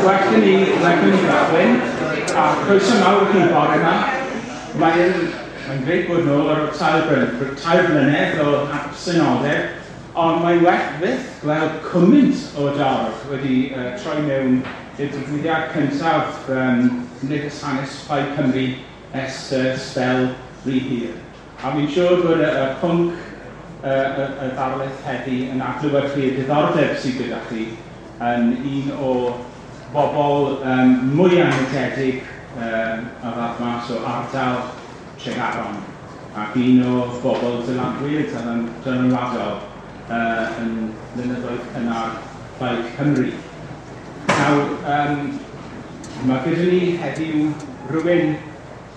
Well gen i, well gen i gychwyn, a croeso mawr i chi bore yma. Mae'n mae'n grêt bod nôl ar ôl 3 blynedd o absenoldeb, ond mae'n well fyth gweld cymaint o dorf wedi troi mewn i'r digwyddiad cyntaf Cymdeithas Hanes Plaid Cymru ers sbel rhy hir. A fi'n siŵr bod y pwnc y ddarlith heddi yn adlewyrchu y diddordeb sydd gyda chi yn un o bobl mwy anrhydedig a ddath mas o ardal Tregaron ac un o bobl dylanwyd a dylanwadol yn blynyddoedd cynnar Plaid Cymru. Nawr, mae gyda ni heddiw rhywun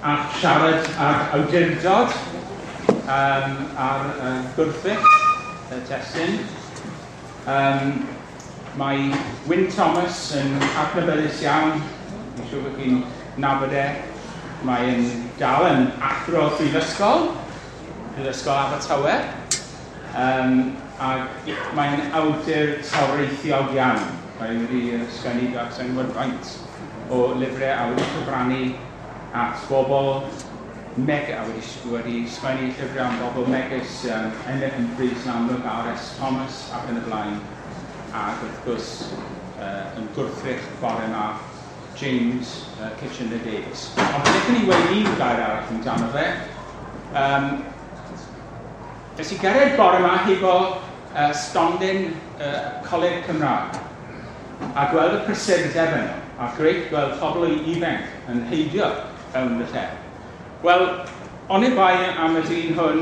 a siarad ag awdurdod ar gwrthrych y testun. Mae Wyn Thomas yn adnabyddus iawn, fi'n siŵr bod chi'n nabod e. Mae'n dal yn athro prifysgol, Prifysgol Abertawe. Ac mae'n awdur toreithiog iawn. Mae wedi ysgrifennu dros sa i'n gwybod faint o lyfrau a wedi cyfrannu at bobl a wedi sgwennu llyfrau am bobl megis Emyr Humphreys yn amlwg, R.S. Thomas ac yn y blaen. Ac wrth gwrs yn gwrthrych bore yma James Kitchener Davies. Ond beth ni weud un gair arall amdano fe. Nes i gerdded bore yma hefo stondin Coleg Cymraeg a gweld y prysurdeb yno, a grêt gweld pobl ifanc yn heidio fewn y lle. Wel, oni bai am y dyn hwn,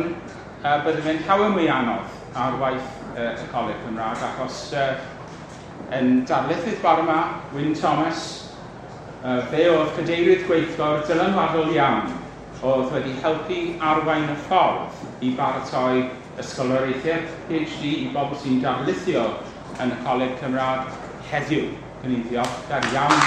bydde fe'n llawer mwy anodd ar waith y Coleg Cymraeg, achos yn darlithydd bore yma, Wyn Thomas, fe oedd cadeirydd gweithgor dylanwadol iawn oedd wedi helpu arwain y ffordd i baratoi ysgoloriaethau PhD i bobl sy'n darlithio yn y Coleg Cymraeg heddiw. Gan i'n ddiolchgar iawn.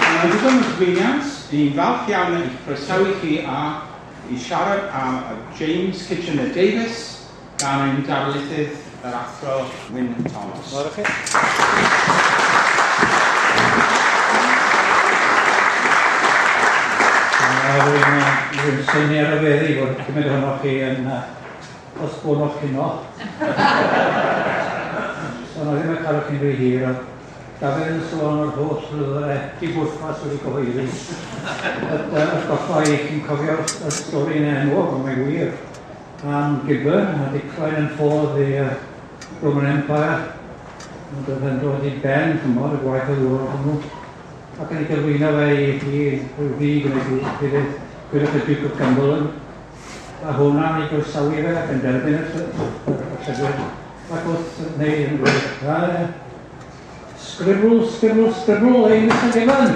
Mae'n ddigon o gyflwyniant. Ni'n falch iawn eich croesawu chi a i siarad am James Kitchener Davies gan ein darlithydd yr Athro Wyn Thomas. Diolch chi. Rwy'n synnu ar y feddi fod cymaint ohonoch chi yn osbonoch heno. So, na ddim yn cael chi'n rhy hir, ond Dafydd yn sôn o'r holl lyfrau di-bwrpas wedi cyhoeddi. Atgoffa i chi'n cofio'r y stori yn enwog, ond mae'n wir, am Gibbon a Decline and Fall of the Roman Empire. Ond oedd yn dod i ben, chymod, y gwaith o ddŵr hwnnw. Ac yn ei gyflwyno fe i rhyw ddig yn ei gilydd, gwydwch y Duke of Cumberland. A hwnna'n ei groesawu fe ac yn derbyn y llyfr. Ac wrth wneud yn dweud, "Scribble, scribble, scribble, eh, Mr Gibbon?"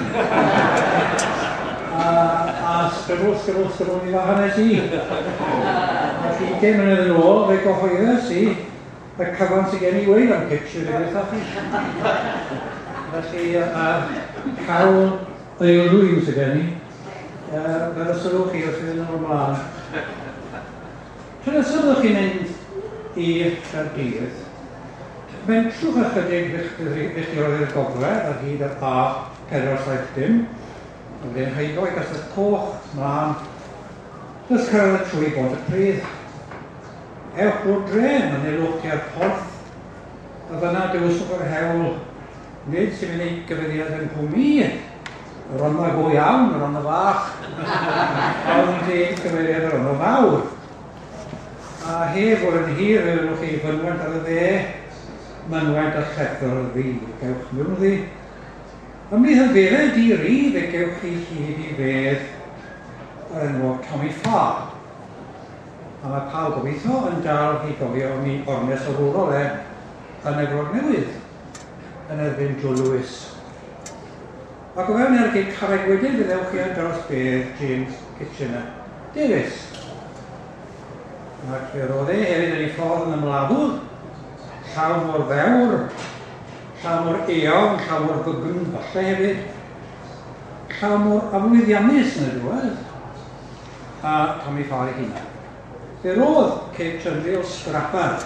A scribble, scribble, scribble, mi fa hanes i. Ac 20 mlynedd yn ôl, fe gyhoeddes i y cyfan sydd gen i weud am Kitchener i chi. Felly, cawl aelwyn sydd gen i, fel y sylwch chi wrth fynd yn ymlaen. Tro nesaf byddwch chi'n mynd i Gaerdydd, mentrwch ychydig filltiroedd i'r gogledd ar hyd yr A470, a wedyn heibo i Gastell Coch, mlaen, nes cyrraedd trwy Bontypridd. Ewch drwy'r dre, manylwch tua'r porth, a fyna dewiswch yr hewl, nid sy'n mynd i gyfeiriad yng Nghwm i, y Rhondda go iawn, y Rhondda fach, ond i gyfeiriad y Rhondda fawr. A heb fod yn hir, fe welwch chi fynwent ar y dde, mynwent a llethr ddu. Gewch mewn ddi. Ymhlith y beddau di-ri, fe gewch chi hyd i fedd yr enwog Tommy Farr. A mae pawb gobeithio yn dal i gofio am ei ornest arwrol e yn Efrog Newydd yn erbyn Joe Louis. Ac o fewn ergyd carreg wedyn fe ddewch chi ar draws bedd James Kitchener Davies. Ac fe roedd e hefyd yn ei ffordd yn ymladdwr, llaw mor ddewr, llaw mor eofn, llaw mor fygn falle hefyd, llaw mor aflwyddiannus yn y diwedd, a Tommy Farr ei hunan. Fe roedd Kitch yn real scrapper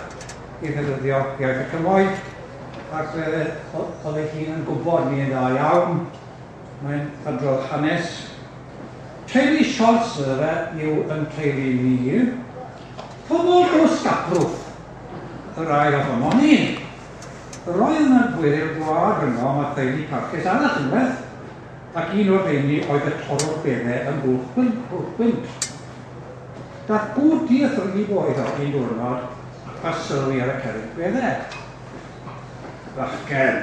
i ddefnyddio iaith y cymoedd, ac fe oedd ei hun yn gwybod ni yn dda iawn. Mae'n adrodd hanes. Teulu Siors iddo fe yw yn teulu ni. Pobl o Scaprwth, y rai ohonon ni. Roedd yna gweryl gwlad rhyngom a theulu parchus arall unwaith, ac un o'r rheini oedd y torrwr beddau ym Mwlch Gwynt. Daeth gŵr dieithr i bo iddo un diwrnod a sylwi ar y cerrig beddau. Bachgen,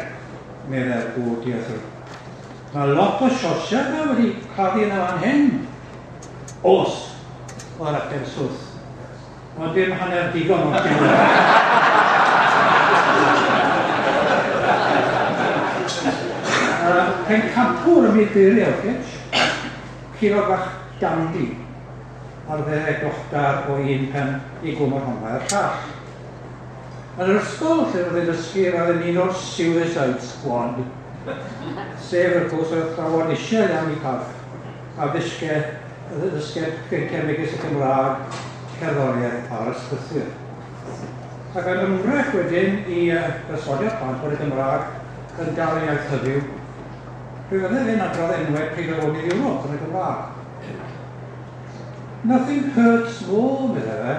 meddai'r gŵr dieithr, mae lot o siorsiau yma wedi claddu yn y fan hyn. Oes, oedd yr ateb swth. Ond dim hanner digon o'r diwedd. Pencampwr ym myd geiriau, Kitch. Curo bach dandy ar dde glochdar o un pen i Gwm y Rhondda i'r llall. Yn yr ysgol lle roedd e'n dysgu roedd e'n un o'r Suicide Squad, sef wrth gwrs yr athrawon eisiau iawn i parch a ddysge, ddysged pynciau megis y Gymraeg, cerddoriaeth a'r ysgrythur. Ac yn ymdrech wedyn i berswadio'r plant bod y Gymraeg yn dal yn iaith hyfyw, fe fydde fe'n adrodd enwau prif afonydd Ewrop yn y Gymraeg. Nothing hurts more, meddai fe,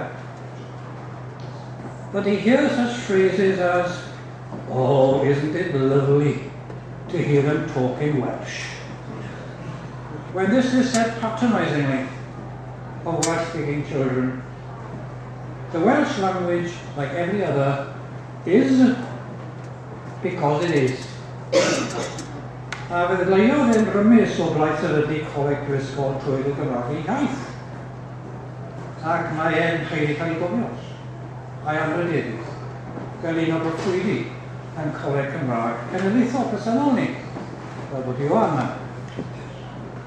but he hears such phrases as, oh, isn't it lovely to hear them talk in Welsh? When this is said patronisingly of Welsh-speaking children, the Welsh language, like every other, is because it is. A fe ddadleuodd e'n rymus o blaid sefydlu Coleg Prifysgol trwy y Gymraeg ei iaith. Ac mae e'n haeddu cael ei gofio, a'i anrhydeddu, fel un o broffwydi yn Coleg Cymraeg Cenedlaethol presennol ni, fel bod Ioan yma.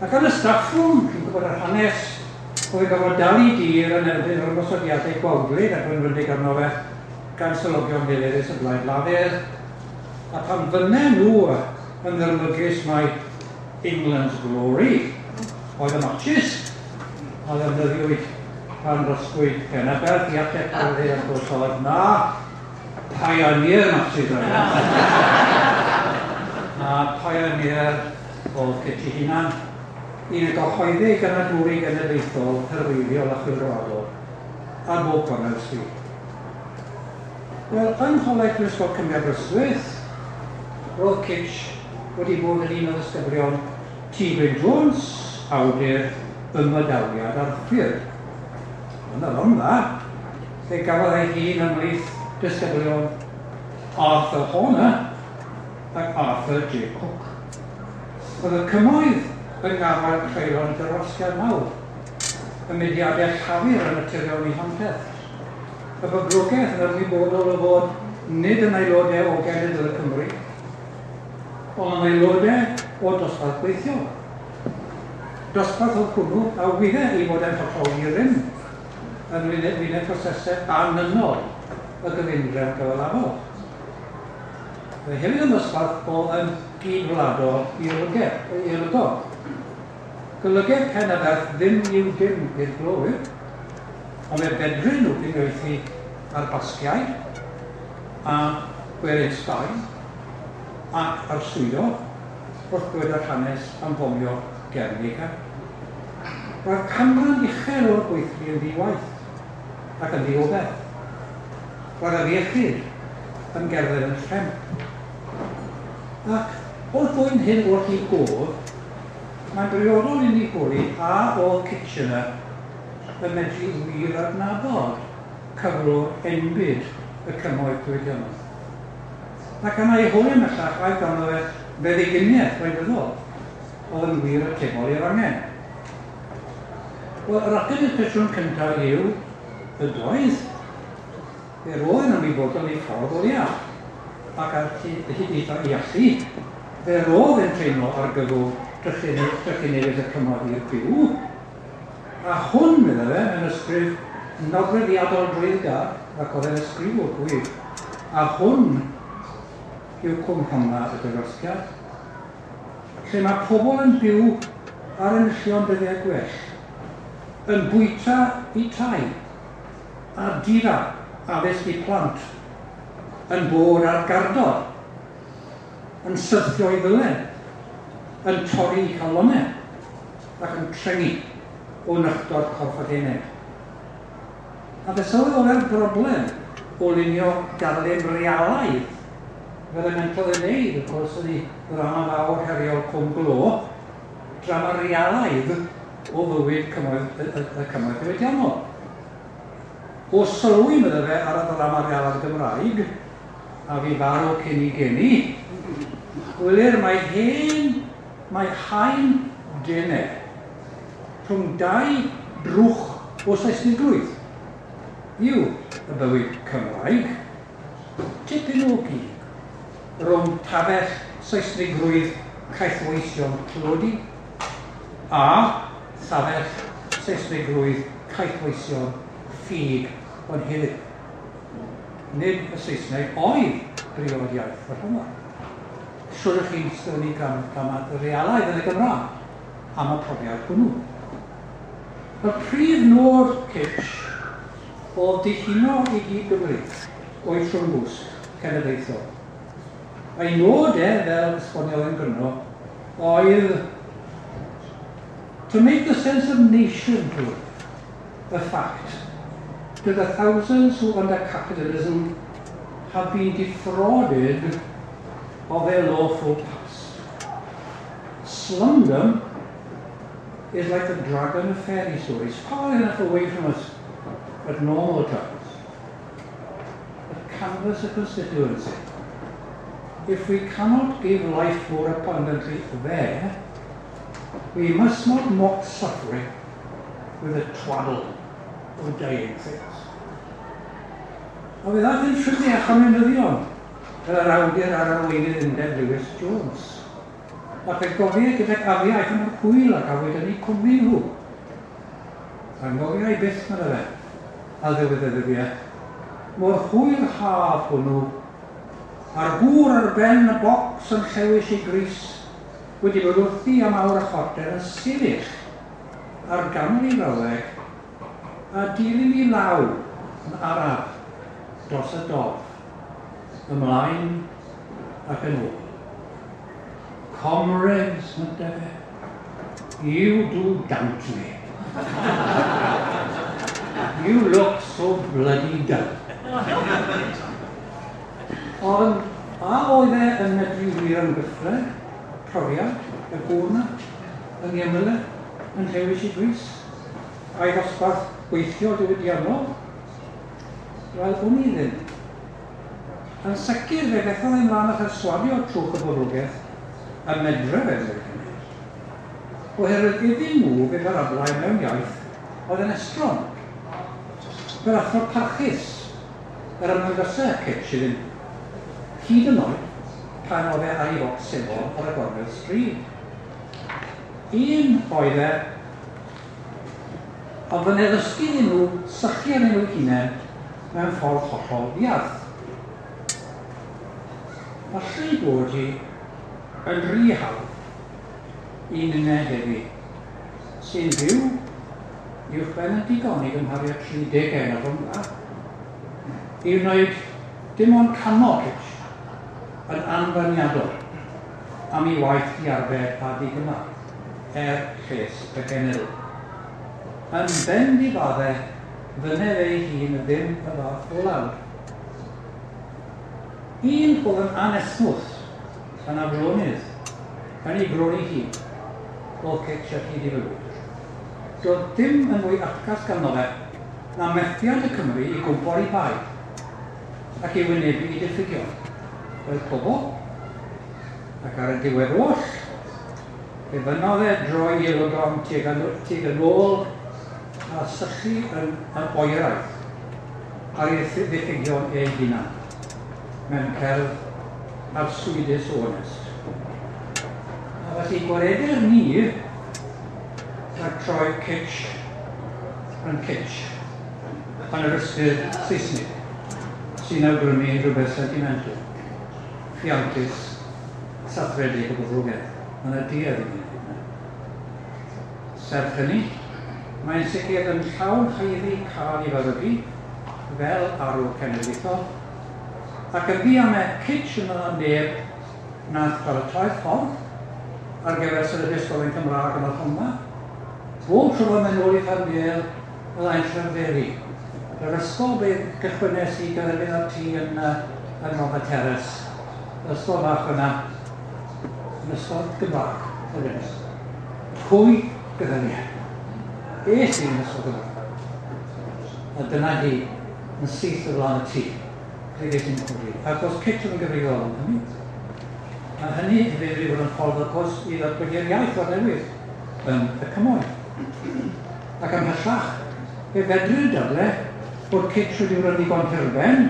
Ac yn y staff room, chi'n gwybod yr hanes, oedd yn gorfod dal i dir yn erbyn yr ymosodiadau gwawdlyd a gwenwynig arno fe gan selogion milurus y Blaid Lafur, a pan fynne nhw yn ddirmygus mai England's Glory oedd y matches a ddefnyddiwyd pan rosgwyd Penaberth i ateb Cymru wrth gwrs oedd na Pioneer matches oedd e. A Pioneer oedd Kitty hunan, un y gyhoeddi ganadwri genedlaethol, herweiddiol a chwyldroadol ar bob cornel y stryd. Wel, yng Ngholeg Prifysgol Cymru Aberystwyth, roedd Kitch wedi bod yn un o ddisgyblion T. Gwyn Jones, awdur Ymadawiad Arthur. Yn y Rhondda, lle gafodd ei hun ymhlith disgyblion Arthur Horner ac Arthur J. Cook. Oedd y cymoedd yn gafael creulon dirwasgiad mawr, y mudiadau llafur yn naturiol eu hanterth. Y boblogaeth yn ymwybodol o fod nid yn aelodau o Genedl y Cymru, ond yn aelodau o dosbarth gweithiol. Dosbarth oedd hwnnw a wyddai ei fod e'n hollol i rym yn wyneb prosesau annynol y gyfundrefn gyfalafol. Fe hefyd yn ddosbarth o yn gyd-wladol i olygol. Golygai Pen-y-berth ddim i'w dim i'r glowyr, ond fe fedrwn nhw uniaethu â'r Basgiaid a gwerin Sbaen ac arswydo wrth ddweud yr hanes am fomio Guernica. Roedd canran uchel o'r gweithlu yn ddi-waith ac yn ddi-obaith. Roedd afiechyd yn gerdded yn rhemp. Ac wrth ddwyn hyn wrth i gof, mae'n briodol i ni holi a oedd Kitchener yn medru wir adnabod cyflwr enbyd y cymoedd diwydiannol. Ac yna ei holi ymhellach aeth ganddo fe feddyginiaeth wleidyddol oedd yn wir atebol i'r angen. Wel, yr ateb i'r cwestiwn cyntaf yw ydoedd. Fe roedd yn ymwybodol ei ffordd o leiaf, ac ar hyd eitha ei allu, fe roedd e'n teimlo argyfwng trychinebus y cymoedd i'r byw. A hwn, meddai fe, mewn ysgrif nodweddiadol dreiddgar, ac oedd e'n ysgrifwr gwych, a hwn yw Cwm Rhondda y Dirwasgiad, lle mae pobl yn byw ar enillion dyddiau gwell, yn bwyta eu tai, a difa addysg i plant yn bod ar gardod, yn syrthio i ddylen, yn torri i calonau ac yn trengi o nychdod corff ac ened. A fe sylweddolai'r broblem o lunio darlun realaidd fel y mentrodd ei wneud, wrth gwrs, yn ei ddrama fawr heriol Cwm Glo, drama realaidd o fywyd cymoedd, y, y, y cymoedd diwydiannol. O sylwi, medde fe, ar y ddrama realaidd Gymraeg, a fi farw cyn i geni, gwelir mae hen, mae haen dene rhwng dau drwch o Saesnigrwydd yw y bywyd Cymraeg, tipyn o gig rhwng tafell Saesnigrwydd caethweision tlodi a thafell Saesnigrwydd caethweision ffug ond heddiw. Nid y Saesneg oedd briod iaith y rhwng. Siwr ych chi'n sgwennu drama realaidd yn y Gymraeg am y profiad hwnnw. Y prif nod Kitch oedd dihuno i gyd Gymru o'i trwmgwsg cenedlaethol. A'i nod e, fel esboniodd yn gryno, oedd to make the sense of nationhood a fact to the thousands who under capitalism have been defrauded of their lawful past. Slumdom is like the dragon of fairy stories, far enough away from us at normal times. But canvass a constituency. If we cannot give life more abundantly there, we must not mock suffering with a twaddle of dying things. A fe ddaeth yn ffrindiau a chomiwnyddion fel yr awdur a'r arweinydd undeb Lewis Jones. Ac fe gofiau gydag afiaeth am yr hwyl a gafwyd yn eu cwmni nhw. Angofiau byth, medde fe, a ddiwedd y ddyddiau. Mor hwyr haf hwnnw, a'r gŵr ar ben y bocs yn llewis ei grys wedi bod wrthi am awr a chwarter yn sefyll ar ganol ei frawddeg a dilyn i law yn araf dros y dof, ymlaen ac yn ôl. Comrades, mynte fe, you do daunt me. You look so bloody dull. Ond a oedd e yn medru wir yn gyffre, profiad, y gŵr 'na, yn ei ymyl e, yn llewis i grys, a'i ddosbarth gweithio diwydiannol? Wel, wn i ddim. Yn sicr, fe fethodd e mlaen a pherswadio trwch y boblogaeth y medre fe wneud hynny. Oherwydd iddyn nhw fe barablau mewn iaith oedd yn estron. Fel athro parchus, yr ymddangosau Kitch iddyn nhw. Hyd yn oed pan oedd e ar ei focs sengl ar y gornel stryd. Un oedd e, ond fy addysgu iddyn nhw sychu arnyn nhw hunain mewn ffordd hollol ddiarth. Falle bod hi yn rhy hawdd i ninne heddi, sy'n byw uwchben y digon i gymharu â 30 a rhwng i wneud dim ond canmol Kitch yn anfarniadol am ei waith diarfer a digymar er lles y genedl. Yn ben difadde, fynedd ei hun ddim y fath o lawr. Un oedd yn anesmwyth, yn aflonydd, yn ei groni hi, oedd Kitch ar hyd ei fywyd. Doedd dim yn fwy atgas ganddo fe na methiant y Cymru i gwmpo ar ei bai ac i wynebu i diffygion. Fel pobl, ac ar y diwedd oll, fe fynnodd e droi ei lygon tuag yn ôl a sychu yn oeraidd ar ei ddiffygion ei hunan mewn cerdd arswydus o onest. A felly gwaredir ni rhag troi Kitch yn kitsch yn yr ystyr Saesnig sy'n awgrymu rhywbeth sentimental, rhiantus, sathredig o boblogaeth. Mae yna duedd i wneud hynny. Serch hynny, mae'n sicr yn llawn haeddu cael ei faddeugu. fel arwr cenedlaethol, ac yn ddiamau Kitch yn yna neb nath paratoi'r ffordd ar gyfer sefydlu ysgolion Cymraeg yn y Rhondda. Bob tro mae'n mynd ôl i Llanfair, byddai'n llyferi. Yr ysgol be gychwynnes i gyferbyn â'r tŷ yn Rhondda Terrace, yr ysgol fach yna, yn ysgol Gymraeg, yr unig. Pwy gyda ni? Es i yn ysgol Gymraeg. A dyna hi, yn syth o flaen y tŷ, lle ges i'n codi. Ac os Kitch yn gyfrifol am hynny, a hynny hefyd wedi bod yn ffordd wrth gwrs i ddatblygu'r iaith o'r newydd yn y cymoedd. Ac ymhellach, fe fedrir dadle bod Kitch wedi bod yn ddigon hirben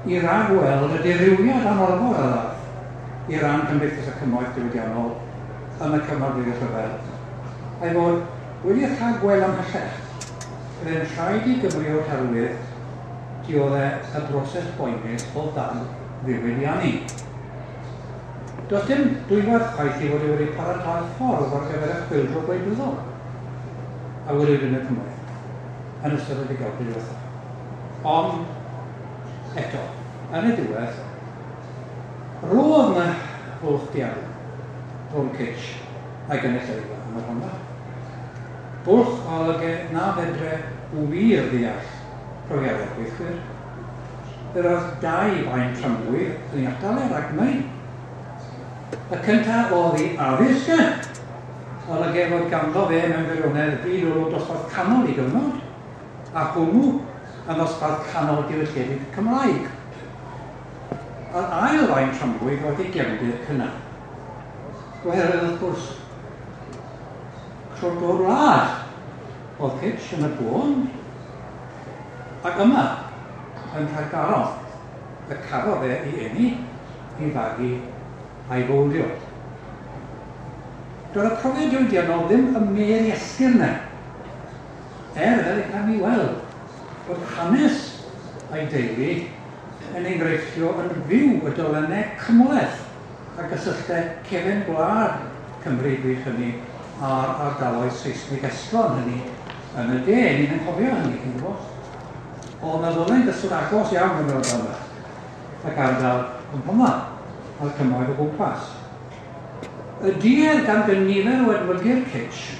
i ragweld y dirywiad anorfod a ddaeth i ran Cymdeithas y Cymoedd Diwydiannol yn y cyfnod wedi'r rhyfel, a'i fod wedi rhagweld ymhellach. Byddai'n rhaid i Gymru o'r herwydd dioddef y broses boenus o ddal ddiwydiannu. Does dim dwywaith chwaith i fod e wedi paratoi'r ffordd ar gyfer y chwyldro gwleidyddol a welwyd yn y cymoedd yn ystod y degawdau diwethaf. Ond, eto, yn y diwedd, roedd yna fwlch diawl rhwng Kitch a'i gynulleidfa yn y Rhondda. Bwlch a olygai na fedre wir ddeall profiadau'r gweithwyr. Fe roedd dau faen tramgwydd yn ei atal e rhag gwneud. Y cyntaf oedd ei addysg e, olygai fod ganddo fe mewn gwirionedd byd olwg dosbarth canol i gyfnod, a hwnnw yn ddosbarth canol diwylliedig Cymraeg. Yr ail faen tramgwydd oedd ei gefndir cynnar. Oherwydd, wrth gwrs, crwt o'r wlad oedd Kitch yn y bôn, ac yma, yn Rhagaron, y cafodd e ei eni, ei fagu a'i fowldio. Doedd y profiad diwydiannol ddim ym medd i esgyrn e, fel y cawn ni weld bod hanes a'i deulu yn enghreifftio yn fyw y dolennau cymhleth a gysylltau cefn gwlad Cymru bryd hynny a'r ardaloedd Saesneg estron hynny yn y de. Ni'n anghofio hynny, chi'n gwybod. Oedd yna ddolen gyswllt agos iawn yn yr ardal yma, ac ardal Cwm Rhondda, a'r cymoedd o gwmpas. Y duedd gan gynifer o edmygu'r Kitch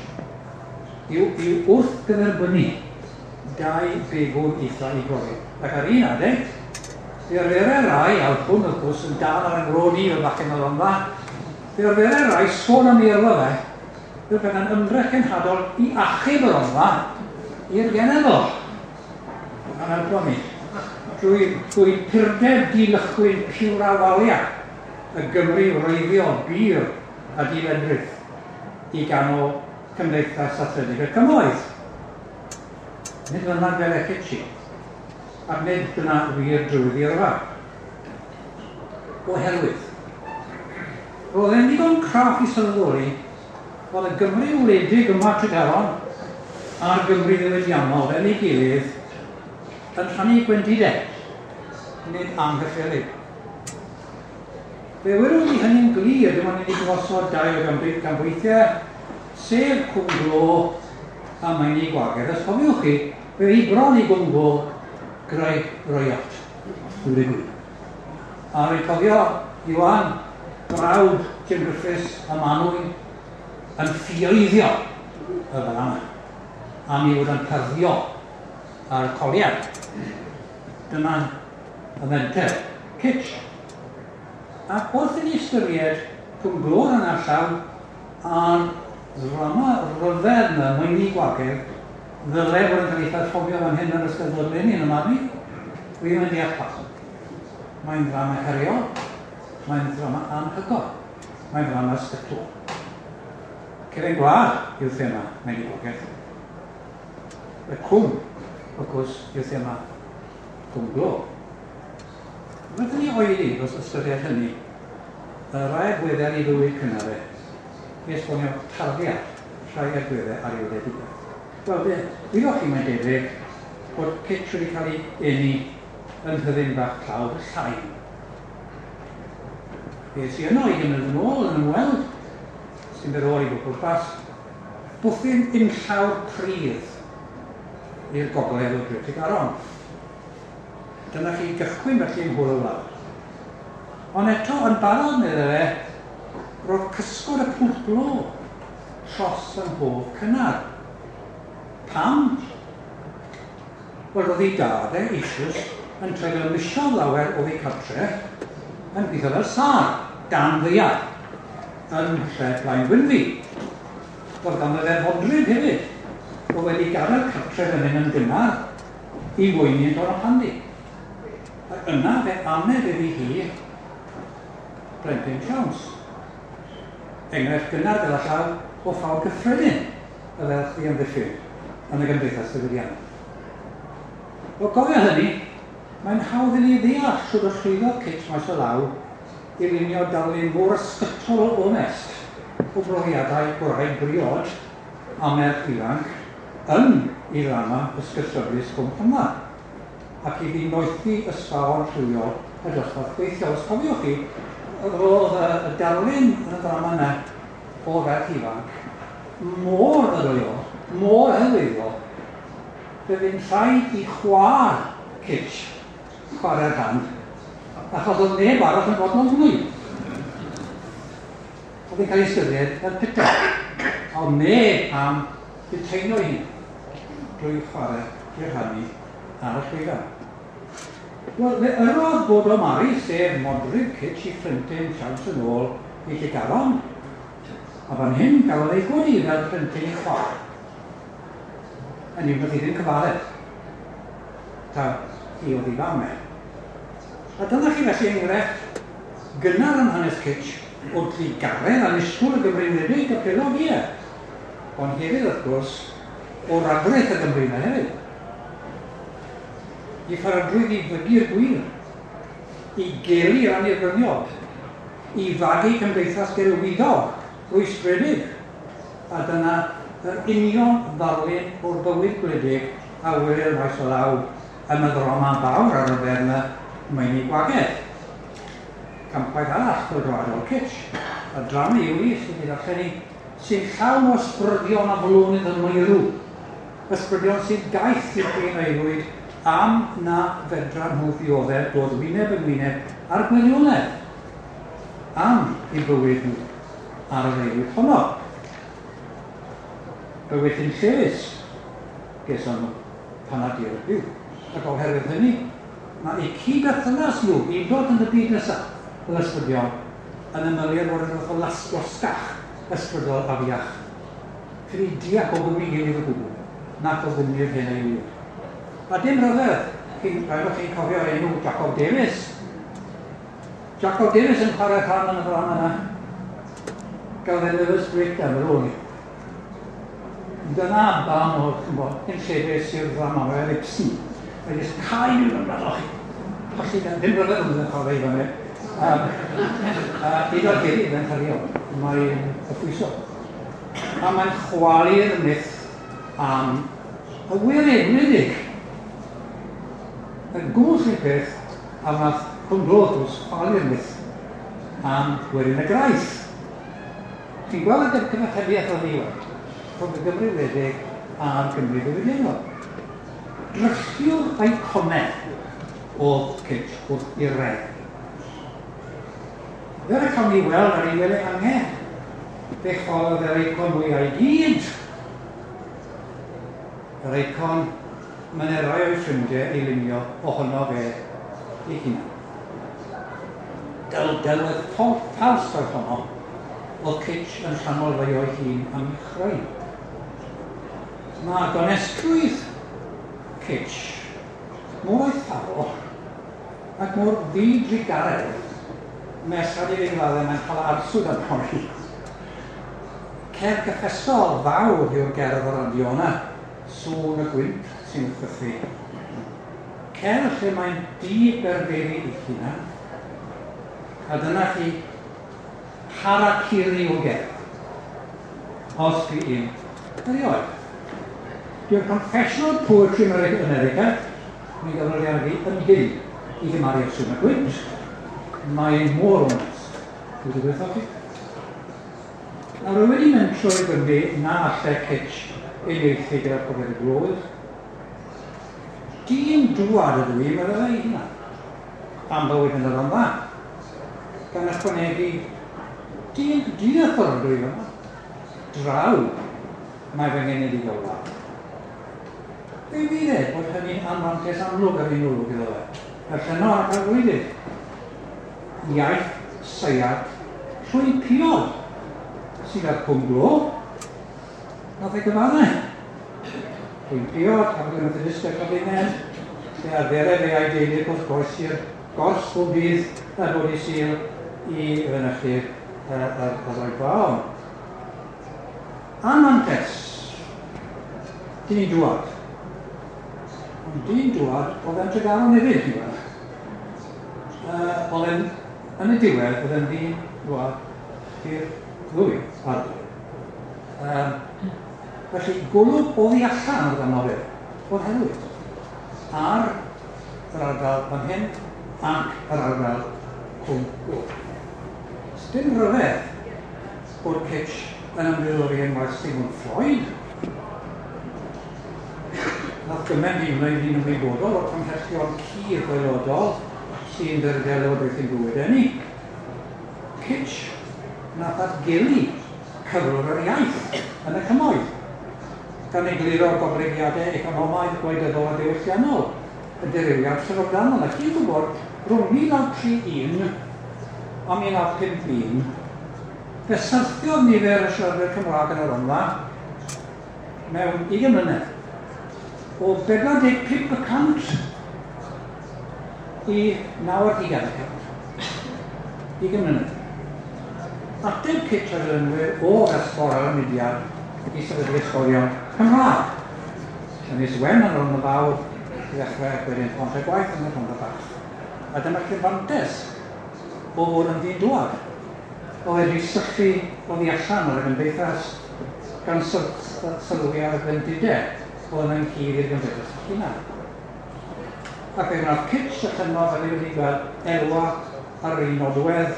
yw i'w wrthgyferbynnu dau begwn eitha i brofi. Ac ar un adeg, fe arferai rai, a oedd hwn wrth gwrs yn dal ar yng i fel bachgen o Rondda, fe arferai rai sôn am ei yrfa fe, fel petai'n ymdrech cenhadol i achub y Rondda i'r genedl. A'n helpo ni. Drwy purdeb dilychwyn piwra walia y Gymru wreiddiol, bur a diledrith i ganol Cymdeithas Athletig y Cymoedd. Nid fyna fel e Kitchi, ac nid dyna wir drwydd i yrfa. Oherwydd, roedd e'n ddigon craff i sylweddoli fod y Gymru wledig yma Tregaron a'r Gymru ddiwydiannol fel ei gilydd yn rhannu gwendidau, nid anghyffelyb. Fe welwn ni hynny'n glir dim ond i ni gosod dau o ganbwythiau, sef Cwm Glo a Meini Gwagedd. Os cofiwch chi, fe hi bron i Gwm Glo greu riot. Dwi'n gwir. A rwy'n cofio Iwan, brawd Jim Griffiths a Manwy yn ffioeiddio y fan yma. A mi fod yn parddio ar y coliad. Dyma y fenter. Kitch. Ac wrth i ni ystyried Cwm Glo yn allan a'r ddrama ryfedd yma, Meini Gwagedd, ddyle fod yn cael ei pherfformio fan hyn yn Eisteddfod eleni yn y marn i, dwi ddim yn deall pam. Mae'n ddrama heriol, mae'n ddrama anhygoel, mae'n ddrama ysgytwol. Cefn gwlad yw'r thema Meini Gwagedd. Y cwm, wrth gwrs, yw'r thema Cwm Glo. Rydyn ni oedi dros ystyried hynny, y rai agweddau ar ei fywyd cynnar e, i esbonio tarddiad rhai agweddau ar ei wledigaeth. Wel, fe wyddoch chi, mae'n debyg, bod Kitch wedi cael ei eni yn nhyddyn bach tlawd y Llain. Fe es i yno i gymryd yn ôl yn ymweld, sy'n byr ôl i bob pwrpas, bwthyn unllawr pridd i'r gogledd o Dre Tregaron. Dyna chi gychwyn felly yng Nghôl y Wlad. Ond eto, yn barod, meddai fe, roedd cysgod y pwll glo tros yng nghof cynnar. Pam? Wel, roedd ei dad e eisoes yn treulio misoedd lawer oddi cartre yn gweithio fel sâr, dan ddaear, yn nhre Blaengwynfi. Roedd ganddo fe fodryb hefyd, oedd wedi gadael cartre fan hyn yn gynnar i weini yn Tonypandy. Ac yna fe aned iddi hi blentyn siawns. Enghraifft gynnar gyda llaw o ffawd gyffredin y ferch ddiamddiffyn yn y gymdeithas ddiwydiannol. O gofio hynny, mae'n hawdd i ni ddeall shwd y llwyddodd Kit maes o law i lunio darlun mor ysgytwol o onest o brofiadau gwraig briod a merch ifanc yn ei ddrama ysgytryfus Cwm Rhondda, ac iddi noethi ysfaon rhywiol y dosbarth gweithiol. Os cofiwch chi, roedd y darlun yn y ddrama yna o ferch ifanc mor ddadleuol, mor helwyddiol, fe fu'n rhaid i chwaer Kitch chwarae'r rhan, achos oedd neb arall yn fodlon gwneud. Oedd hi'n cael ei ystyried fel puto. A oedd neb am buteino ei hun drwy chwarae i'r rhannu ar y llwyfan. Wel, fe yrrodd Bodo Mari, sef modryb Kitch, i phlentyn siawns yn ôl i Llegaron, a fan hyn gafodd ei godi fel plentyn i chwaer. Hynny yw, nath hi ddim cyfaddef taw hi oedd ei fam e. A dyna chi felly enghraifft gynnar yn hanes Kitch o drugaredd annisgwyl y Gymru wledig, y pelog, ie. Ond hefyd, wrth gwrs, o ragrith y Gymru yna hefyd. I pharodrwydd i fygu'r gwir, i gelu yr annibyniol, i fagu cymdeithas gelwyddog, rwystredig, a dyna yr union ddarlun o'r bywyd gwledig a welir maes o law yn y ddrama fawr ar y fer yna, Meini Gwagedd. Campwaith arall chwyldroadol Kitch, y drama yw hi sydd wedi darllen i, sy'n llawn o ysbrydion a flonydd yn meirw, ysbrydion sy'n gaeth i'r hen aelwyd am na fedran nhw ddioddef dod wyneb yn wyneb â'r gwirionedd am eu bywyd nhw ar yr aelwyd honno. Bywyd hunllefus geson nhw pan ar dir y byw, ac oherwydd hynny, mae eu cyd-berthynas nhw i ddod yn y byd nesaf fel ysbrydion yn ymylu ar fod yn fath o losgach ysbrydol afiach. Credu diac o gwmni gilydd o gwbl, nac o gwmni'r hen aelwyd. A dim rhyfedd, chi'n, rhaid bod chi'n cofio'r enw Jacob Davies. Jacob Davies yn chwarae rhan yn y ddrama yna. Gafodd e nervous breakdown ar ôl ni. Dyna ba mor, ch'mod, hunllefus yw'r ddrama, mae fel Ibsen. Mae jyst cau nhw yn rhan chi. Colli gan, ddim rhyfedd ond yn chwarae i fan hyn. Hyd o'r heddiw, mae'n cario. Mae'n yffwyso. A mae'n chwalu'r myth am y werin wledig. Y gwrs i'r peth a wnaeth Cwm Glo, wrth gwrs, chwalu'r myth am werin y graith. Chi'n gweld y cyfatebiaeth o ddiwedd rhwng y Gymru wledig a'r Gymru ddiwydiannol. Drylliwr eiconedd oedd Kitch wrth i'r reg. Fel y cawn ni weld ar ei wely angen, fe chwalodd yr eicon mwyaf i gyd. Yr eicon mae'n rai o'i ffrindiau ei lunio ohono fe ei hunan. Del delwedd ffals oedd honno, oedd Kitch yn rhannol fei o'i hun am ei chreu. Mae gonestrwydd Kitch mor eithafol ac mor ddidrugaredd nes rhaid i fi gyfadde mae'n cael arswyd arno fi. Cerdd gyffesol fawr yw'r gerdd o radio yna, sŵn y gwynt sy'n chwythu. Cerdd lle mae'n di-berfeddu ei hunan, a dyna chi harakiri o gerdd, os dwi un erioed. Dyw'r confessional poetry yn America, mi gafodd ei argu yn hyn i gymharu â sŵn y gwynt. Mae'n mor onest. Dwi wedi gweithio chi. Nawr, rwy wedi mentro i Gymru na allai Kitch uniaethu gyda'r profiad y glowyr. Dyn dŵad ydw i, meddai ei hunan, am bywyd yn y Rhondda, gan ychwanegu, dyn dieithr ydw i fyma. Draw mae fy nghenedigaeth wlad. Fe fydd e bod hynny'n anfantais amlwg ar un olwg iddo fe, fel llenor ac arweinydd. Iaith seiat llwyn piod sydd ar Cwm Glo. Nath e gyfadde. Llwyn Piod, Capel Methodistaidd Cofinen, lle arferai fe a'i deulu wrth groesi'r gors bob dydd a bod i Sul i fynychu'r yr oedfaon. Anfantais, dyn dŵad. Ond dyn dŵad oedd e'n Tregaron hefyd, ti'n gweld. Oedd e'n, yn y diwedd, oedd e'n ddyn dŵad i'r ddwy ardal. Felly, golwg oddi allan oedd ganddo fe, o'r herwydd, ar yr ardal fan hyn ac yr ardal Cwm Glo. Dim rhyfedd bod Kitch yn ymddiddori yn waith Sigmund Freud. Nath gymaint i wneud ni'n ymwybodol o'r cymhellion cudd gwaelodol sy'n ddirgel lywodraethu'n bywyd ni. Kitch nath atgelu cyflwr yr iaith yn y cymoedd, gan egluro goblygiadau economaidd, gwleidyddol a diwylliannol y dirywiad syfrdanol. A chi'n gwybod, rhwng 1931 a 1951, fe syrthiodd nifer y siaradwyr Cymraeg yn y Rhondda mewn 20 mlynedd, o 45% i 90%. 20 mlynedd. Ateb Kitch a'r dilynwyr o ysgol ar y mudiad i sefydlu ysgolion Cymraeg. Ynys Wen yn Rhondda Fawr i ddechrau ac wedyn Pont y Gwaith yn y Rhondda Fach. A dyma chi'r fantes o fod yn ddyn dŵad. O fedru syllu oddi allan ar y gymdeithas gan sylwi ar y gwendidau oedd yn cudd i'r gymdeithas ei hunan. Ac fe wnaeth Kitch y llenor fel ni wedi gweld elwa ar yr un nodwedd.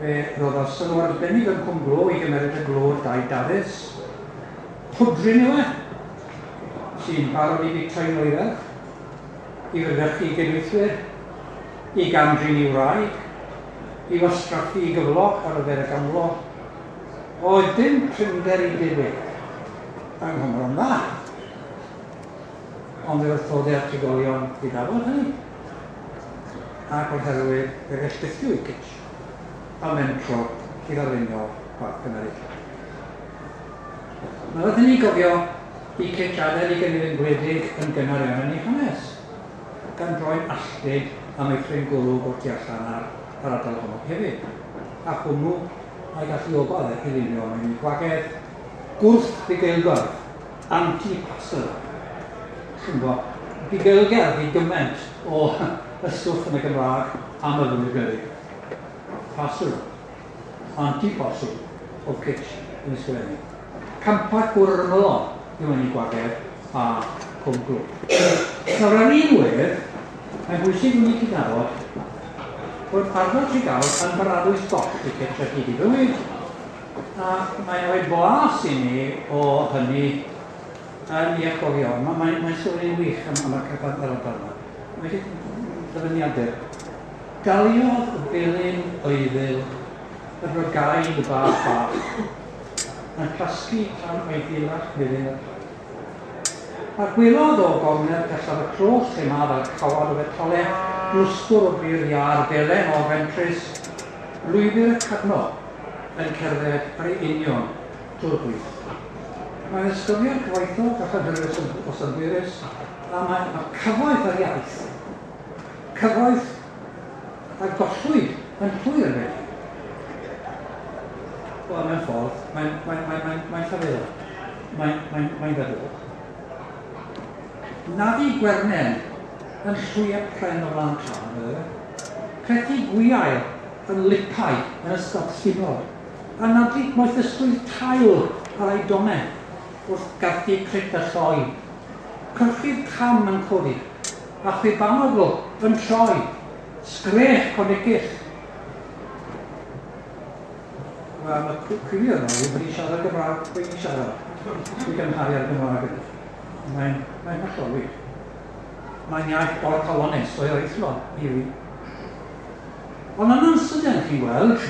Fe roddodd sylw arbennig yn Cwm Glo i gymeryd y glod Dai Dafis. Pwdrin yw e, sy'n barod i fwytau'n oeredd, i fynychu gydweithwyr, i gam-drin i wraig, i wastraffu i gyflog ar yfed y gamlo. Oedd dim prinder i debyg yng Nghymru'n dda. Ond fe wrthodai'r trigolion gydnabod hynny, ac o'r herwydd fe felltithiwyd Kitch a mentro i ddarlunio gwaith Cymreig. Mae wrth i ni gofio i Kitch adael ei gynefin gwledig yn gynnar iawn yn ei hanes, gan droi'n alltud a meithrin golwg o'r tu allan ar yr ardal honno hefyd, a hwnnw a'i galluogodd e i lunio meini gwagedd gwrth-fugeilgordd, anti-pastoral. Chi'n gwybod, bugeilgerdd i gymaint o ystwff yn y Gymraeg am y ddwy gyrig. Pastoral, anti-pastoral o Kitch yn ysgrifennu. Campau gwr yr ymylon yw enw gwagedd a Cwm Glo. Nawr ar un wedd, mae'n bwysig i ni cydnabod bod ardal Tregaron yn baradwys goll i Kitch ar hyd ei fywyd, a mae'n rhoi blas i ni o hynny yn ei atgofion. Mae'n mae, mae stori'n wych am y cyfan yr ardal yma. Mae ddyfyniadur. Daliodd y felin oeddil y brygaid bach bach, yn tasgu tan eiddilach melyn y paid. A gwelodd o gornel pellaf y clos lle ma fel cawod o fetale, glwstwr o bri'r iâr felen o fentrus, lwybr y cadno yn cerdded ar ei union drwy'r gwyllt. Mae'n ysgyfiad cyfoethog a chynhyrfus o synhwyrus, a mae, mae cyfoeth yr iaith, cyfoeth a gollwyd yn llwyr felly. Wel, mewn ffordd, mae'n mae, mae, mae, mae llafurol, mae'n mae, mae feddwl. Naddu gwernen yn llwyau pren o flaen tân, meddai fe. Crethu gwiail yn lipau yn ystod llunod, a nadlu moethusrwydd tail ar ei dome wrth garthu crit a lloi. Cyrchu'r cam yn codi, a chwibanogl yn troi, sgrech conicyll. Wel, mae cwylio yna wedi siarad Gymraeg, wedi siarad i gymharu â'r Gymraeg yna. Mae'n mae hollol wych. Mae'n iaith orcalonus o'i oethlon i fi. Ond yn sydyn chi'n gweld,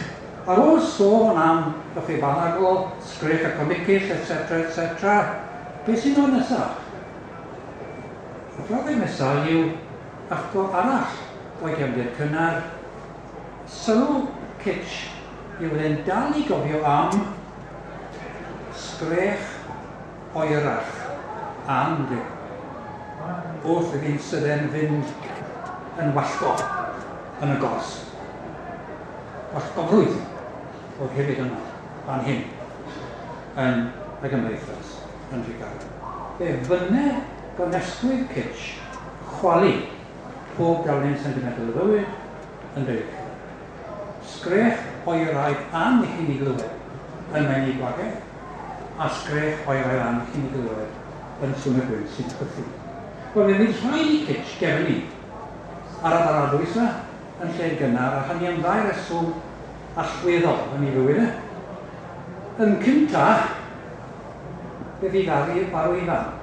ar ôl sôn am y Ffibanagl, Sgrech y Comicill, etc., etc., beth sy'n dod nesaf? Y brawddeg nesaf yw atgo arall o'i gefndir cynnar. Sylw Kitch yw e'n dal i gofio am sgrech oerach and wrth iddi'n sydyn fynd yn wallgo yn y gors. Wallgofrwydd oedd hefyd yno, fan hyn, yn y gymdeithas, yn Tregaron. Fe fynne gonestrwydd Kitch chwalu pob darlun sentimental o fywyd yn dweud. Sgrech oeraidd an i chi'n ei glywed yn meini gwagedd, a sgrech oeraidd an chi'n ei glywed yn sŵn y gwynt sy'n chwythu. Wel, fe fydd rhaid i Kitch gefnu ar y baradwys yma yn lle gynnar, a hynny am ddau reswm allweddol yn ei fywyd e. Yn cynta, fe fydd farw ei fam,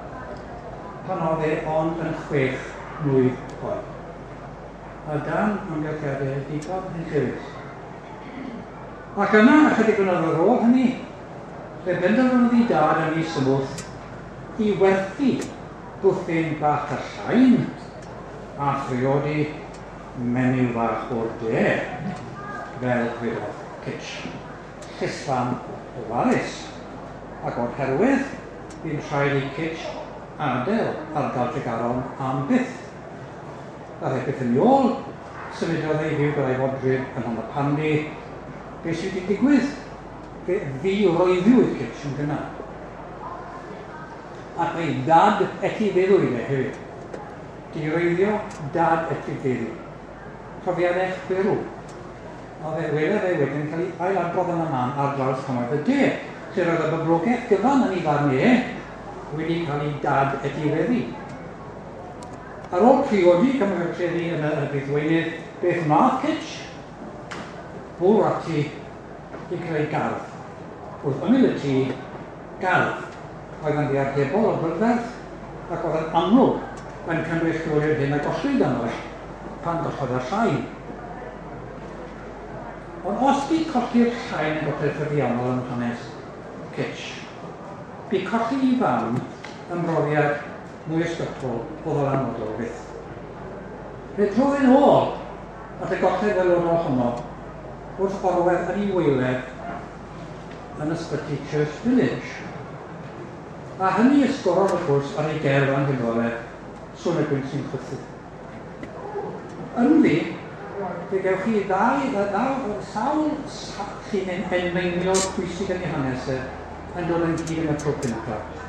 pan oedd e ond yn 6 mlwydd oed. A dan amgylchiadau digon hunllefus. Ac yna, ychydig flynyddoedd ar ôl hynny, fe benderfynodd ei dad yn ei symwth i werthu bwthyn bach y llain a phriodi menyw fach o'r de, fel gwedodd Kitch, llysfam ofalus. Ac o'r herwydd, bu'n rhaid i Kitch adael ardal Tregaron am byth. Daeth e byth yn ôl, symudodd ei fyw gyda'i fodryb yn Rhondda Pandy. Be sydd wedi digwydd? Fe ddi-wreiddiwyd Kitch yn gynnar. Ac fe'i dad etifeddwyd e hefyd. Diwreiddio, dad etifeddu. Profiadau chwyrw. Oedd e welodd e wedyn cael ei ailadrodd yn y man ar draws cymoedd y de, lle roedd y boblogaeth gyfan yn ei farn e wedi cael ei dad etifeddu. Ar ôl priodi cymryd yn y brif weinydd, beth wnaeth Kitch? Bwrw ati i creu gardd. Wrth ymyl y tŷ, gardd oedd yn ddiarhebol o brydferth ac oedd yn amlwg yn cynrychioli'r hyn a gollwyd ganddo pan gollodd y llain. Ond os bu colli'r llain yn golled ffurfiannol yn hanes Kitch, bu colli i fam yn brofiad mwy ysgytwol o ddylanwadol fyth. Fe drodd yn ôl at y golled ddelwrol honno wrth orwedd yn ei waeledd yn ysbyty Church Village. A hynny ysgorodd wrth gwrs ar ei gerdd anhygoel e, Sŵn y Gwynt sy'n chwythu. Ynddi, fe gewch chi ddau sawl llinyn enmeiniol pwysig yn ei hanes e yn dod ynghyd yn y tro cyntaf.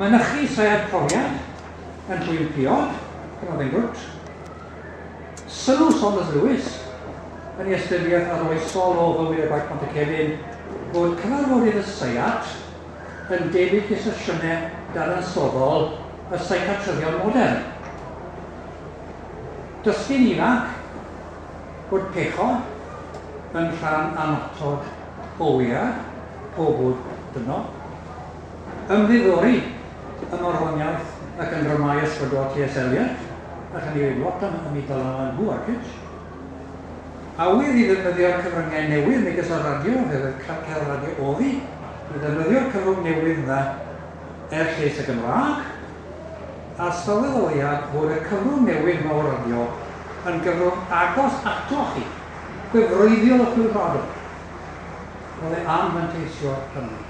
Mynychu seiad profiad yn Llwyn Piod, pan oedd e'n grwt. Sylw Saunders Lewis yn ei ystyriaeth arloesol o fywyd y gwaith Pontycelyn fod cyfarfodydd y seiat yn debyg i sesiynau dadansoddol y seiciatryddion modern. Dysgu'n ifanc bod pechod yn rhan annatod o wead pob bwyd dynol. Ymddiddori yn orfoniaeth ac yn dramâu ysbrydol T.S. Eliot, ac yn ei lot am y dylanwad nhw ar Kitch. Awydd i ddefnyddio'r cyfryngau newydd megis y radio, fel y cael radio oddi, i ddefnyddio'r cyfrwng newydd yna er lles y Gymraeg, a sylweddoliad fod y cyfrwng newydd yma o radio yn gyfrwng agos ato chi, gwefreiddiol y chwilfrado. Roedd e am fanteisio hynny.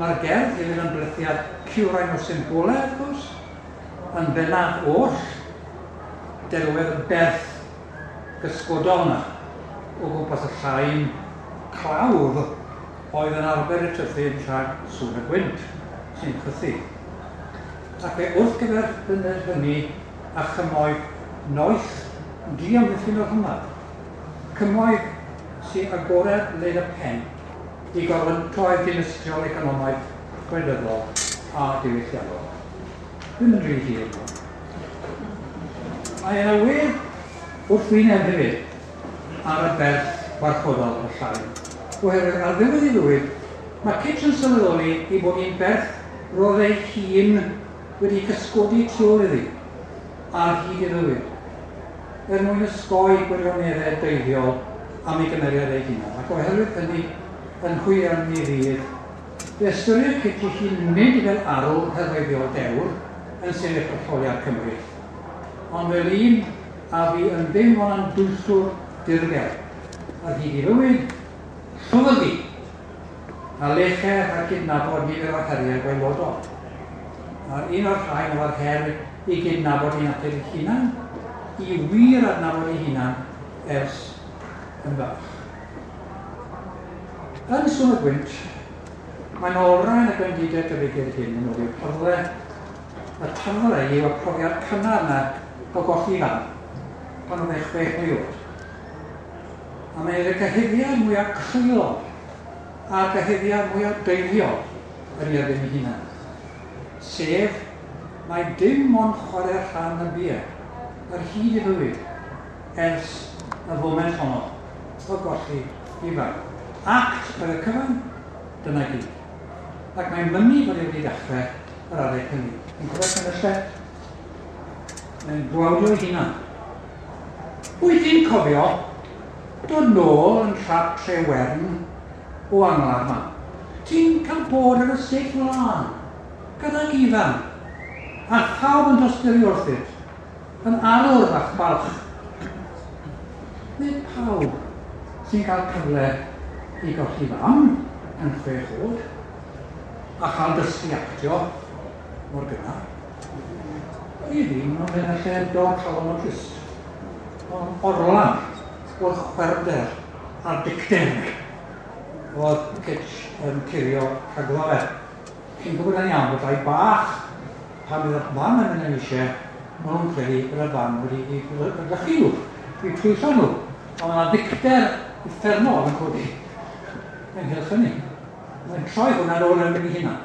Mae'r gerdd hefyd yn blethiad cywrain o symbolau, wrth gwrs, yn bennaf oll delwedd y berth gysgodol yna o gwmpas y llain clawdd oedd yn arfer y tyddyn rhag sŵn y gwynt sy'n chwythu. Ac fe wrth gyferbynnu hynny a chymoedd noeth diamddiffyn o'r hymad. Cymoedd sy'n agored led y pen i gorfyntoedd dinistriol economaidd, gwleidyddol a diwylliannol. Ddim yn rhy hir. Mae yna wedd wrth wyneb hefyd ar y berth warchodol y llain. Oherwydd ar ddiwedd ei fywyd, mae Kitch yn sylweddoli ei bod hi'n berth roedd ei hun wedi cysgodi tu ôl iddi ar hyd ei fywyd, er mwyn osgoi gwirioneddau deifiol am ei gymeriad ei hunan, ac oherwydd hynny, yn hwyr yn ei ddydd, fe ystyrir Kitch ei hun nid fel arwr herfeiddiol dewr yn sefyll etholiad Cymru, ond fel un a fu yn ddim ond yn dwyllwr dirgel ar hyd ei fywyd, llwfrgi, a leche rhag cydnabod nifer o heriau gwaelodol. A'r un o'r rhain oedd yr her i gydnabod ei natur ei hunan, i wir adnabod ei hunan ers yn fach. Yn Sŵn y Gwynt, mae'n olrhain y gwendidau dyfegiad hyn yn ôl i'r tarddle. Y tarddle yw y profiad cynnar yna o golli fam, pan oedd e 6 mlwydd oed. A mae'n y cyhuddiad mwyaf creulon a'r cyhuddiad mwyaf deifiol yn ei erbyn ei hunan. Sef, mae dim ond chwarae rhan y bia ar hyd ei fywyd ers y foment honno o golli ei fam. Act oedd y cyfan, dyna gyd. Ac mae'n mynnu bod e wedi dechrau yr adeg hynny. Yn cofio cynnylle? Mae'n gwawdio ei hunan. Wyt ti'n cofio dod nôl yn trap Trewern o angladd ma? Ti'n cael bod ar y stêj mlaen, gydag Ifan, a phawb yn tosturi wrthyt, yn arwr fach balch. Nid pawb sy'n cael cyfle i golli fam yn 6 oed, a chael dysgu actio mor gynnar. I fi, mae'n mynd lle dod calon o drist. Ond orlan o'r chwerwder a'r dicter oedd Kitch yn curio rhagddo fe. Chi'n gwybod yn iawn bod rhai bach, pan bydd y fam yn mynd yn eisiau, maen nhw'n credu bod y fam wedi eu bradychu nhw, eu twyllo nhw. Ond mae yna ddicter uffernol yn codi ynghylch hynny. Mae'n troi hwnna nôl yn ei hunan.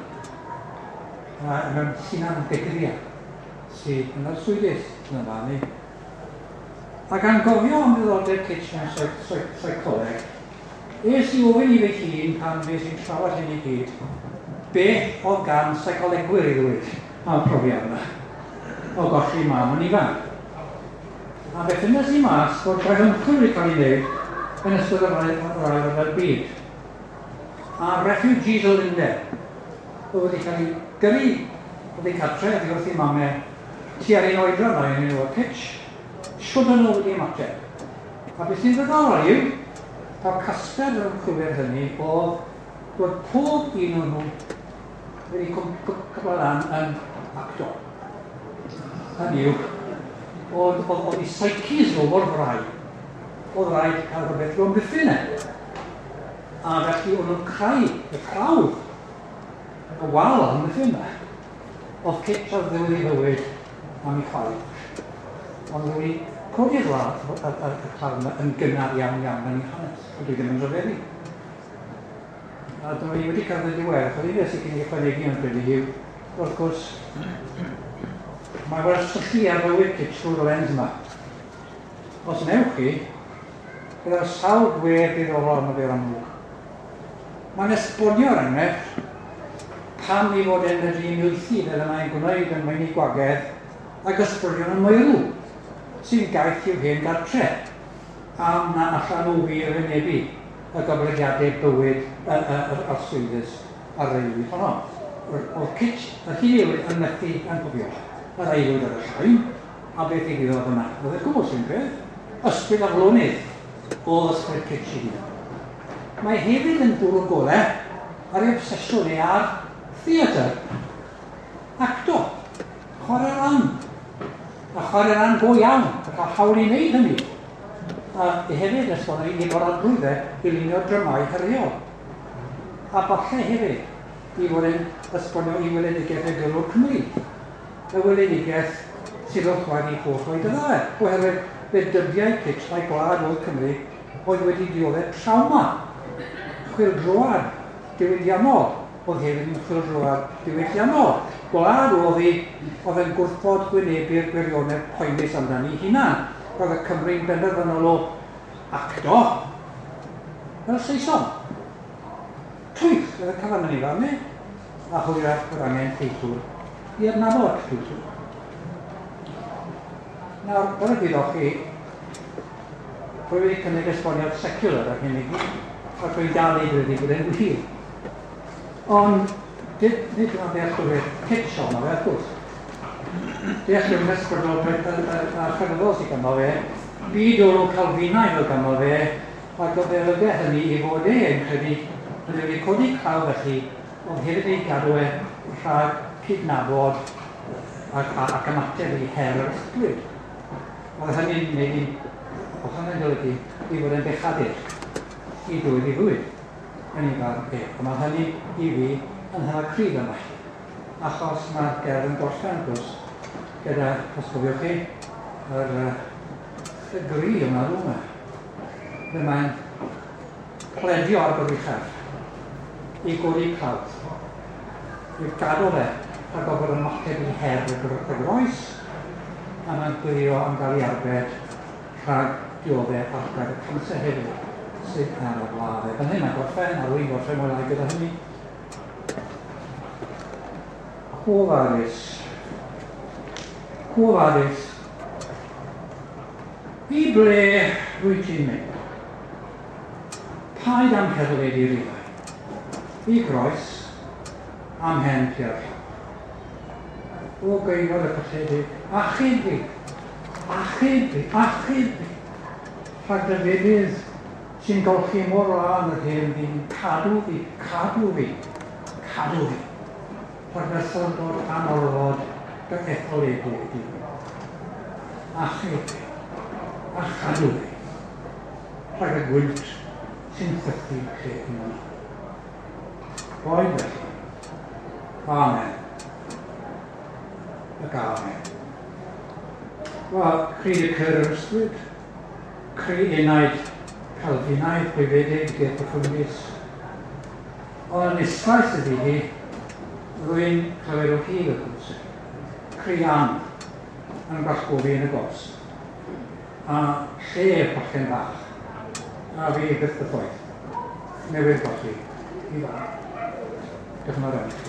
Mewn hunan degriad sydd yn arswydus yn y fan ni. A gan gofio am ddiddordeb Kitch mewn seicoleg, es i ofyn i fy hun pan fues i'n trafod hyn i gyd, beth oedd gan seicolegwyr i ddweud am y profiad yma o golli mam yn ifanc. A fe ffindes i mas bod gwaith ymchwil wedi cael ei wneud yn ystod yr ail ryfel byd. A refugees o Lundain oedd wedi cael ei gyrru oddi cartre oddi wrth eu mamau tua'r un oedran â un o'r Kitch, shwd o'n nhw wedi ymateb. A beth sy'n ddiddorol yw, taw casgliad yr ymchwilwyr hynny oedd bod pob un o'n nhw wedi cwpla lan yn actor. Hynny yw, oedd eu psyches nhw mor frau, oedd rhaid cael rhywbeth i'w amddiffyn e. A felly o'n nhw'n creu y clawdd, y wal amddiffyn yma. Oedd Kitch ar ddiwedd ei fywyd am ei chwaer. Ond wedi codi'r y clawdd yma yn gynnar iawn iawn yn ei hanes, ond dwi ddim yn rhyfeddu. A dyma ni wedi cyrraedd y diwedd, achos un beth sy'n cyn i ychwanegu yn credu yw, wrth gwrs, mae fel syllu ar fywyd Kitch trwy'r lens yma. Os wnewch chi, byddai'r sawl gwedd ddiddorol arno fe o'r amlwg. Mae'n esbonio'r enghraifft pam ei fod e'n medru uniaethu fel y mae'n gwneud yn meini gwagedd ag ysbrydion y meirw, sy'n gaeth i'w hen gartre, am na allan nhw wir wynebu y goblygiadau bywyd yr arswydus a'r aelwyd honno. Oedd Kitch yr hyn yw yn methu anghofio yr aelwyd ar y llain, a beth ddigwyddodd yna. Oedd e'n gwbl sy'n peth, ysbryd aflonydd oedd ysbryd Kitch ei hun. Mae hefyd yn bwrw golau ar ei obsesiwn ei ar theatr, acto, chwarae ran, a chwarae ran go iawn, a cael hawl i wneud hynny. A hefyd esbonio i barodrwydd e i lunio dramâu heriol. A falle hefyd i fod yn esbonio i weledigaeth y gyrrwr Cymru. Y weledigaeth sydd wrth wraidd i holl oedfa e, oherwydd fe dybiai Kitch mai gwlad oedd Cymru oedd wedi dioddef trawma, chwyldroad diwydiannol, oedd hefyd yn chwyldroad diwylliannol. Gwlad oedd hi oedd yn gwrthod gwynebu'r gwirionedd poenus amdani hunan. Roedd y Cymru'n benderfynol o acto fel Saeson. Twyll oedd y cyfan yn ei farn e, a hwyrach bod angen teitl i adnabod Duw. Nawr, fel y gwyddoch chi, rwy wedi cynnig esboniad secular ar hyn i gyd, ac rwy'n dal i ddweud bod e'n wir. Ond nid dyma ddealltwriaeth kitsch ohono fe, wrth gwrs. Dealltwriaeth ysbrydol a chrefyddol sydd ganddo fe, byd olwg Calfinaidd oedd ganddo fe, ac oedd fe olygu hynny i fod e yn credu bod e wedi codi clawdd felly, oedd hefyd ei gadw e rhag cydnabod ac ymateb i her yr ysbryd. Oedd hynny'n gwneud i, oedd hynny'n golygu i fod yn bechadur i dwydd i fwyd yn ei farn e. Ond mae hynny i fi yn hynod cryf yma, achos mae'r gerdd yn gorffen, wrth gwrs, gyda, os cofiwch chi, yr y gri yma rhwng yma. Fe mae'n pledio ar goruchaf i godi clawdd, i gadw fe rhag gorfod ymateb i her y groes, a mae'n gwylio am gael ei arbed rhag dioddef argraff y canser hefyd sydd ar y wlad. Fan hyn mae'n gorffen, a rwy'n gorffen mwy lai gyda hynny. Quo vadis? Quo vadis? I ble rwy ti'n mynd? Paid am herlid i rifau. I groes, am hen tua'r llawr. O geifod y colledig, achub fi, achub fi, achub fi. Rhag dy fedydd sy'n golchi mor lân yr hen ddyn, cadw fi, cadw fi, cadw fi. Rhag merthyrdod anorfod dy etholedig di. Achub fi, a chadw fi. Rhag y gwynt sy'n chwythu lle yma. Boed felly. Amen. Ac amen. Wel, cri y cyr yr ysbryd, cri enaid Calfinaidd gwyfedig ger profundis. Ond yn islais ydi hi, rwy'n clywed o hyd wrth gwrs. Cri Ann yn gwallgofi yn y gors. A lle bachgen bach, a fi byth y ffoedd. Newydd golli i fam. Diolch yn fawr iawn i chi.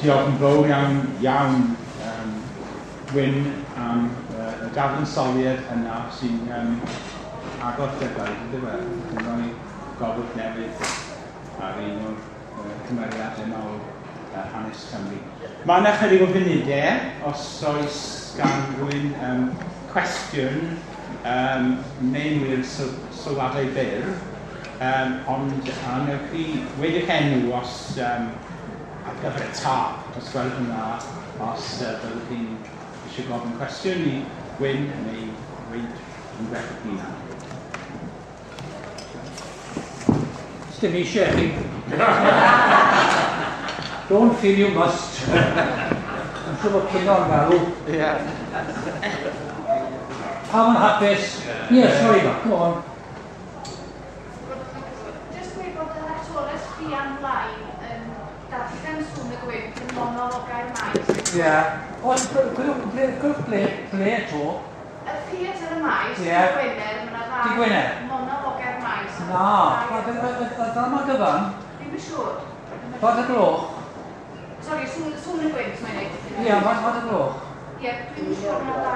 Diolch yn fawr iawn, iawn, Wyn, am y dadansoddiad yna sy'n agor llygaid, ynddo fe? Yn rhoi golwg newydd ar un o'r cymeriadau mawr hanes Cymru. Mae yna chydig o funudau, os oes gan rywun cwestiwn neu'n wir sylwadau byr, ond a wnewch chi weud eich enw os ar gyfer y tâp, os gwelwch yn dda, os byddwch chi'n eisiau gofyn cwestiwn i Wyn neu weud rhywbeth eich hunan. Sdim eisiau chi. Don't feel you must. I'm siŵr bod Cynon galw. Ie. Pawb yn hapus? Ie, yeah, sorry, Mark, go on. Just gweud bod yr actores Rhian Blaen yn darllen Sŵn y Gwynt yn monologau'r maes. Ie. Ond gwylwch ble, ble to? Y theatr y maes, Ie. Dydd Gwener, mae yna Dydd ddau Gwener? monologau'r maes. Na, y ddrama gyfan? Ddim yn siŵr. Faint y gloch? Sori, sŵn y gwynt, mae'n neud. Ie, faint y gloch? Ie, dwi'n siŵr mae ddau...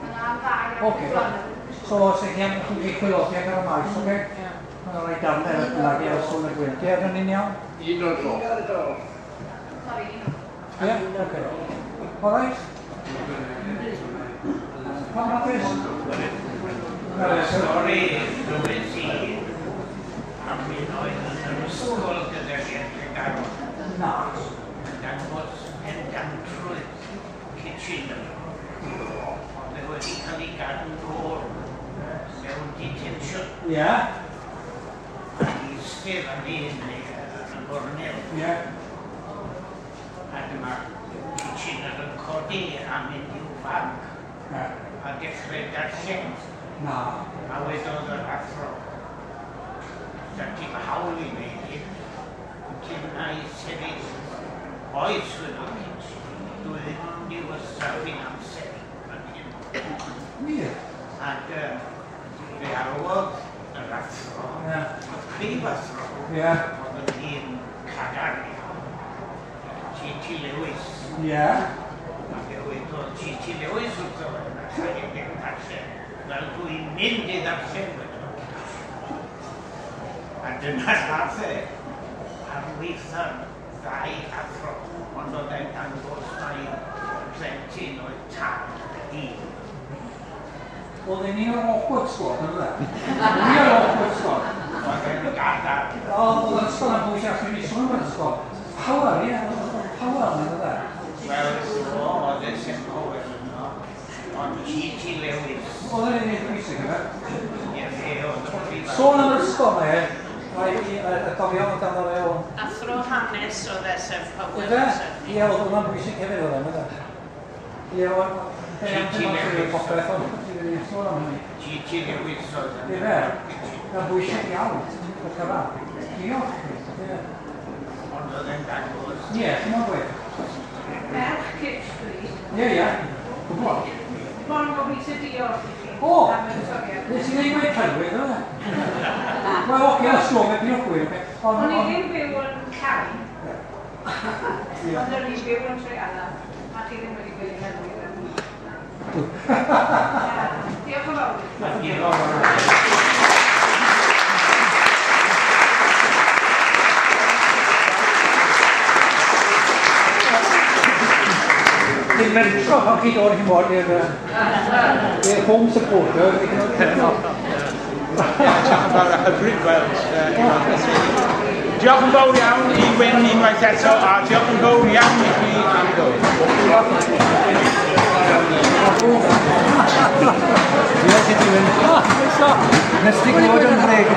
Mae yna ddau ar Ocê. gyfan, dwi'n siŵr. So, os ych chi am chi chwilodi ar y maes, oce? Ie. Mae'n rhoi darnau ar y bynnag ar sŵn y gwynt. Ie, rydyn ni'n iawn? Un o'r gloch. Sori, un o'r Ie, oce. All right? Pawb hapus? Y stori ddwys i am un oedd yn yr ysgol gydag Tregaron Na. yn dangos pendantrwydd Kitchener. Ond e wedi cael ei gadw nôl mewn detention. Ie. Ac eistedd fan hyn yn cornel. Ie. A dyma Kitchener yn codi a mynd i'w fag. A dechrau darllen. Na. A wedodd yr athro, da ti'n hawl i wneud hyn, ti'n na i sefyll. Oes, wedodd Kitchener, dwi ddim yn mynd i wastraffu'n amser fan hyn. Wir? Ac fe alwodd yr athro, y prif athro, oedd yn hun cadarn iawn, T.T. Lewis. Ie. A fe wedodd T.T. Lewis wrtho fe, na allai e ddim darllen, fel dwi'n mynd i ddarllen, wedodd. A dyna nath e ar weitha'r ddau athro, ond oedd e'n dangos mai plentyn oedd tad y dyn. Oedd e'n un o'r awkward squad, yn dde? Un o'r awkward squad. Oedd e'n gadarn. Oedd yr ysgol yn bwysig, allan ni sôn am yr ysgol. Power, ie, oedd power yn dde. Wel, oedd e St Powell yno, ond T.T. Lewis. Oedd e'n un bwysig, yfe? Ie, fe oedd y prif. Sôn am yr ysgol, mae e. Y gofio oedd ganddo fe o... Athro hanes oedd S.M. Powell. Oedd e? Ie, oedd hwnna'n bwysig hefyd oedd e, oedd e? Ie, oedd... T.T. Lewis. Popeth ond, sôn am hynny. T.T. Lewis oedd e. Ie, mae'n bwysig iawn, y cyfan. Diolch. Ond oedd e'n dangos. Ie, ti'n mwyn gweud. Merch Kitch dwi. Ie, ie. Gwybod. Mond gobeithio diolch i chi. O! Am y toriad. Nes i ddim gweud celwydd, oedd e? Wel, oce, os dwi'n meddwl, diolch gwir. O'n i ddim byw yn Llain. Ond o'n i'n byw yn Trealaw. A chi ddim wedi gweud celwydd. Diolch yn fawr. Diolch yn fawr. Dwi'n mentro pan chi dod chi'n bod i'r home supporter. Diolch yn fawr a hyfryd gweld. Diolch yn fawr iawn i Wyn unwaith eto, a diolch yn fawr iawn i chi am ddod. Diolch i ti, Wyn. Nes ti glywed yn rheg.